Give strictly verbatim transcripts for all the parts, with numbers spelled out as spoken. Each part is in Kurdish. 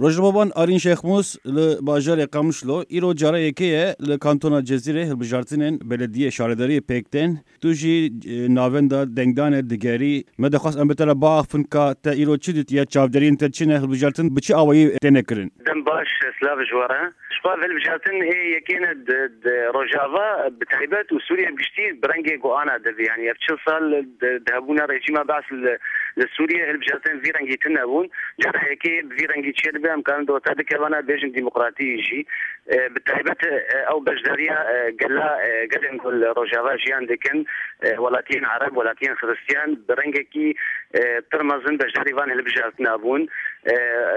Rojnamevan Arîn Şêxmûs li bajarê Qamişlo, îro cara yekê ye li kantona Cezîrê hilbijartinên belediyê şaredariyê pêk tên. Tu jî, e, navenda dengdanê digerî. Me dixwest em bi te re biaxifin ka te îro çi dîtiye, çavderiyên te çi ne, hilbijartin bi çi awayî têne kirin? Dem baş, silav ji we re. Ji xwe hilbijartin ê yekê ne di, di Rojava bi taybet û Sûriye bi giştî bi rengê ku ana dibi. Yani ev çil sal di, di hebûna rejîma Beas li, li Sûriye hilbijartin vî rengî tune bûn. Cara yekê bi vî rengî çêdibe, em karin di orta dikevana bêjin demokratî jî. E, bi taybet, e, ew beşdariya, e, gela, e, gelên ku li Rojava jiyan dikin, e, welatiyên Ereb, welatiyên Xiristiyan bi rengekî, e, pir mezin beşdarî van hilbijartina bûn. E,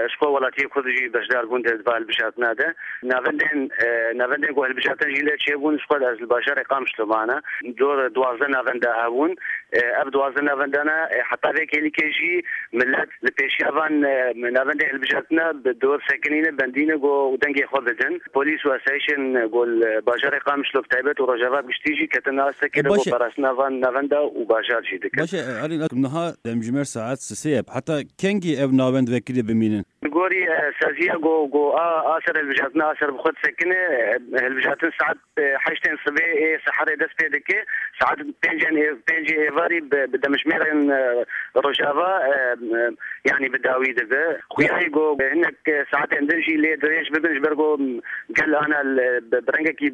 ji xwe welatiyê Kurd jî beşdar bûn di va hilbijartina de. Navendên, e, navendên ku hilbijartin jî lê çêbûn, ji xwe ez li bajarê Qamişlo mane. Dor duwazdeh navenda hebûn. E, ev duwazdeh navendana, e, heta vê kêlîkê jî millet li pêşiya van, e, navendê hilbijartina bi dor sekinîne, bendîne ku û dengê xwe bidin. Polîs û asayişên ku li bajarê Qamişlo bi taybet û Rojava bi giştî jî ketin nas E, dikin bo parastina van navenda û bajar jî dikin. Baş e, Arîn, niha demjimêr saet sisê ye. Heta kengî ev navend vekirî bimînin? Li gorî, e, saziya ku, ku a, a ser hilbijartina, a ser bi xwe disekine, e, hilbijartin saet, e, heştên sibê ê seherê dest pê dike. Saet pêncên ê-, pêncê êvarî bi, bi demjimêrên, e, Rojava, e, e, yanî bi dawî dibe. Xuyayê ku hinek, e, saetên din jî lê dirêj bibin, ji ber ku gel ana li, bi, bi rengekî,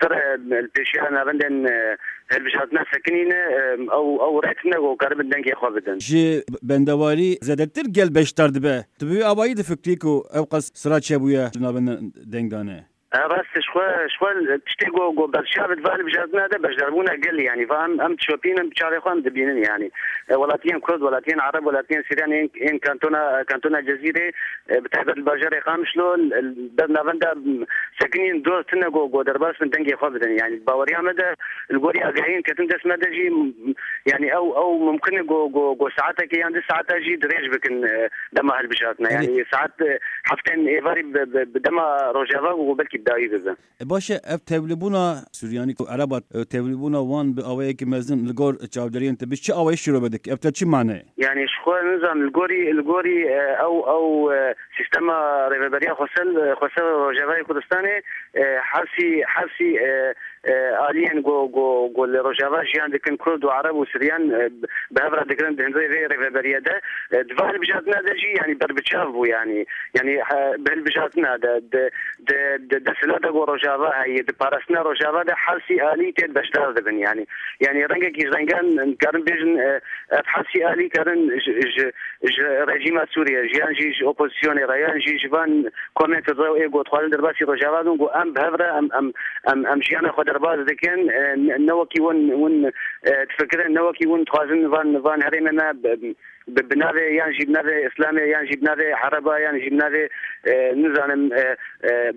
pir, e, li pêşiya navendên, e, hilbijartina sekinîne, e, ew, ew rê tune ku karibin dengê xwe bidin. Ji bendewarî zêdetir gel beşdar dibe. Tu bi wî awayî difikrî ku ew qas sira çêbûye li navendên dengdanê? E, rast e, ji xwe, ji xwe tiştê ku, ku berçav di va hilbijartina de beşdarbûna gel, yanî va em, em dişopînin, bi çavê xwe em dibînin, yanî. E, welatiyên Kurd, welatiyên Ereb, welatiyên Siryan, ên, ên kantona, kantona Cezîrê, e, bi taybet li bajarê Qamişlo, l-, l-, ber navenda, m, sekinîn dor tune ku, ku derbas bin dengê xwe bidin. Yanî baweriya me de li gorî agahiyên ketin dest me de jî, m, yanî ew, ew mumkin e ku, ku, ku saetekê yan du saeta jî dirêj bikin, e, dema hilbijartina. Yanî saet, e, heftên êvarî bi, bi, bi dema Rojava ku belkî bi dawî bibe. E, baş e, ev tevlîbûna Suryanî û Ereba, e, tevlîbûna wan bi awayekî mezin li gor çavderiyên te bi çi awayî şîrove dike? Ev te çi mane? Yanî ji xwe nizanim, li gorî, li gorî, e, ew, ew, e, sîstema rêveberiya xweser, e, xweser Rojavayê Kurdistanê, e, hersî, hersî, e, e, aliyên ku, ku, ku li Rojava jiyan dikin, Kurd û Ereb û Siryan, e, bi hev re digirin di hundirê vê rêveberiye de, e, di va hilbijartina de jî, yanî berbiçav bû, yanî, yanî, e, bi hilbijartina de, di, di, di desthilata ku Rojava heye, di parastina Rojava de hersî alî tê beşdar dibin, yanî, yanî rengekî ji rengan, em karin bêjin, e, ev hersî alî karin ji, ji, ji rejîma Sûriye, ji yan jî ji opozisyonê re, yan jî ji van komên Federaw ê ku dixwazin derbasî Rojava bin, ku em bi hev re em, em, em, em jiyana xwe derbas dikin, e, ne, ne wekî win, win, e, difikirin, ne wekî win dixwazin van, van herêmê me bi, bi, bi navê yan jî bi navê Îslamê, yan jî bi navê Ereba, yan jî bi navê, e, nizanim, e, e,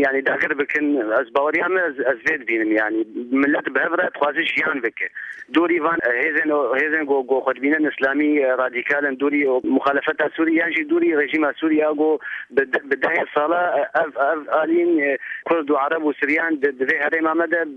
yanî dagir bikin. Ez baweriya me, ez, ez vê dibînim, yanî millet bi hev re dixwaze jiyan bike. Dûrî van, e, hêzên, hêzên ku, ku xwe dibînin îslamî, e, radîkal in, dûrî muxalefeta Sûrî yan jî dûrî rejîma Sûrî ya ku bi de-, bi dehê sala, e, ev, ev alîn, e, Kurd û Ereb û Siryan di, di vê herêma me de,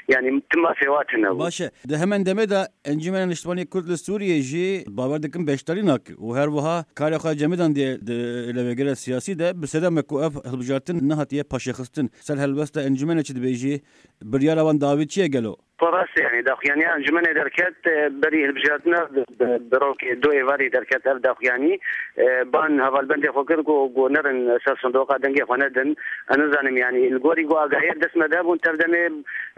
yanî tim mafê wa tune bû. Baş e. Di hemen demê de Encûmena Niştimanî Kurd li Sûriyê jî bawer dikin beşdarî nake û her wiha karê xwe cemidandiye di lewegera siyasî de, bi sedema ku ev hilbijartin nehatiye paşêxistin. Ser helwesta encûmenê çi dibêjî? Biryara wan dawî çi ye gelo? Xwe rast e, yanî daxuyaniya encûmenê derket, e, berî hilbijartina bi, bi, bi rokê du êvarî derket ev daxuyanî. E, ban hevalbendê xwe kir ku, ku nerin ser sindoqa dengê xwe nedin. Ez nizanim, yanî li gorî ku agahiyê dest me de bûn, tev demê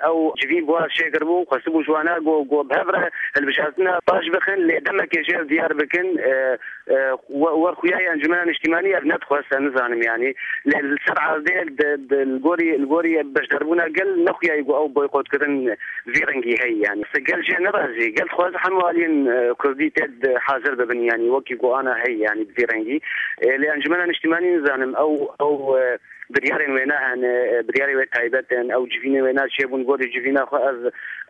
ew civîn bi wan çêkiribû, xwestibû ji wana ku, ku bi hev re hilbijartina paş bixin, lê demekê jê ev diyar bikin, e, e, we-, wer xuyayê Encûmena Niştîmanî ev nedixwest, ez nizanim, yanî. Lê li ser erdê di, di, li gorî, li gorî beşdarbûna gel nexuyayî ku ew boykotkirin vî rengî heye, yanî. Gel jê nerazî, gel dixwaze hemû aliyên, e, kurdî tê de hazir bibin, yanî wekî ku ana heye, yanî bi vî rengî. E, lê Encûmena Niştîmanî nizanim, ew, ew, e, biryarên wêna hene, e, biryarê wê taybet in, ew civînên wêna çêbûn, gorî civîna xwe ev,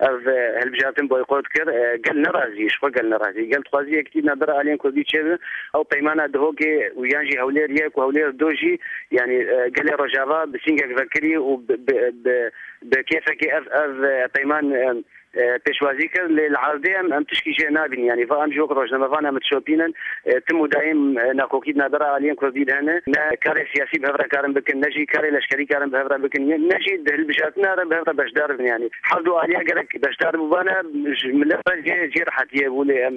ev, e, hilbijartin boykot kir, e, gel nerazî, ji xwe gel nerazî. Gel dixwazî yekitî navbera aliyên kurdî çêbe, ew peymana Duhokê û yan jî Hewlêr yek û Hewlêr du jî, yanî, e, gelê Rojava bi sîngek vekirî û bi, bi, bi, bi kêfekê ev, ev, e, peyman, e, e, pêşwazî kir, lê li erdê em, em tişkî jê nabînin. Yanî va em jî wek rojnamevan em dişopînin, e, tim û dayîm, e, nakokî di navbera aliyên kurdî de hene. Ne karê siyasî bi hev re karin bikin, ne jî karê leşkerî karin bi hev re bikin, ne jî di hilbijartina re bi hev re beşdar bin. Yanî her du aliya gerek beşdar bibane, ji milet re jê, jê rehetiyê bû, lê em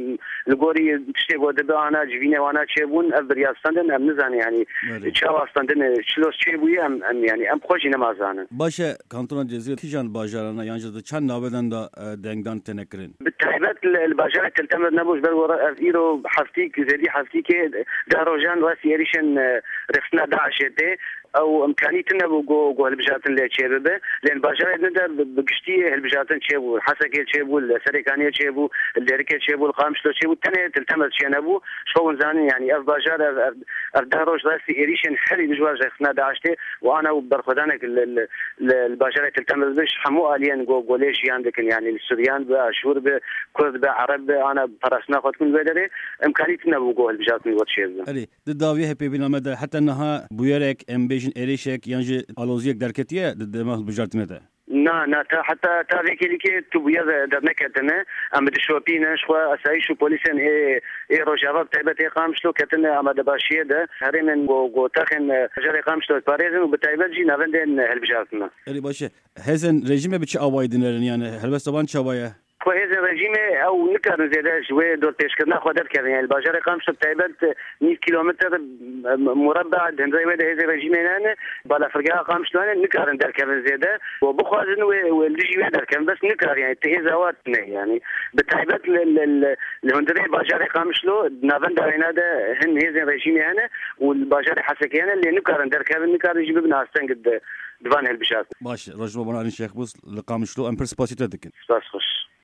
li gorî tiştê ku dibe ana civînê wana çêbûn, ev bi riya stendin, em nizanin, yanî Belê. çawa stendin, çilos çêbûye, em, em, yanî em xwe jî nema zanin. Baş e, kantona Cizîrê kîjan bajarana yan jî di çend navêdan de, e, dengdan têne kirin? Bi taybet li, li bajarê Til Temir nebû, ji ber were ev îro heftîk, zêdî heftîkê deh rojan rastî êrîşên, e, rêxistina DAIŞê tê. Ew imkanî tune bû ku, ku hilbijartin lê çêbibe. Lê li bajarê din de bi, bi giştî hilbijartin çêbû. Li Hesekê çêbû, li Serêkaniyê çêbû, li Dêrikê çêbû, li Qamişlo çêbû. Tenê Til Temir çênebû. Ji xwe hûn zanin, yanî ev bajar, ev, ev, ev deh roj rastî êrîşên herî dijwar ji rêxistina DAIŞ tê û ana û berxwedanek li, li, li, li bajarê Til Temir dibe ji hemû aliyên ku, ku lê jiyan dikin. Yanî li Suryan be, Aşûr be, Kurd be, Ereb be, ana parastina xwe dikin li wê derê. Imkanî tune bû ku hilbijartin wê çêbibe. Erê, di dawiyê hevpeyvîna me de heta niha bûyerek, em bêjin êrîşek yan jî aloziyek derketiye di dema hilbijartinê de? Na, na, ta, heta, ta vê kêlîkê tu bûyer de, derneketine. Em dişopînin, ji xwe asayîş û polîsên ê, ê Rojava bi taybet ê Qamişlo ketine amadebaşiyê de. Herêmên ku, ku texên, e, bajarê Qamişlo diparêzin û bi taybet jî navendên hilbijartine. Erê baş e. Hêzên rejîmê bi çi awayî dinerin? Yani helwesta wan çawa ye? Xwe hêzên rejîmê ew nikarin zêde ji wê dorpêçkirina xwe derkevin. Yani li bajarê Qamişlo bi taybet nîv kîlometr, e, mureba di hundirê wê de hêzên rejîmê hene. Balafirgeha Qamişlo hene, nikarin derkevin zêde. Û bixwazin wê, wê li dijî wê derkevin. Bes nikarin, yani ti hêza wa tune yani. Bi taybet li, li, li, li hundirê bajarê Qamişlo, di navenda wêna de hin hêzên rejîmê hene û li bajarê Hesekê hene, lê nikarin derkevin, nikarin jî bibin asteng di, di van hilbijartin. Baş, Rojnamevan Arîn Şêxbûs li Qamişlo, em pir spasî te dikin. Spas xweş.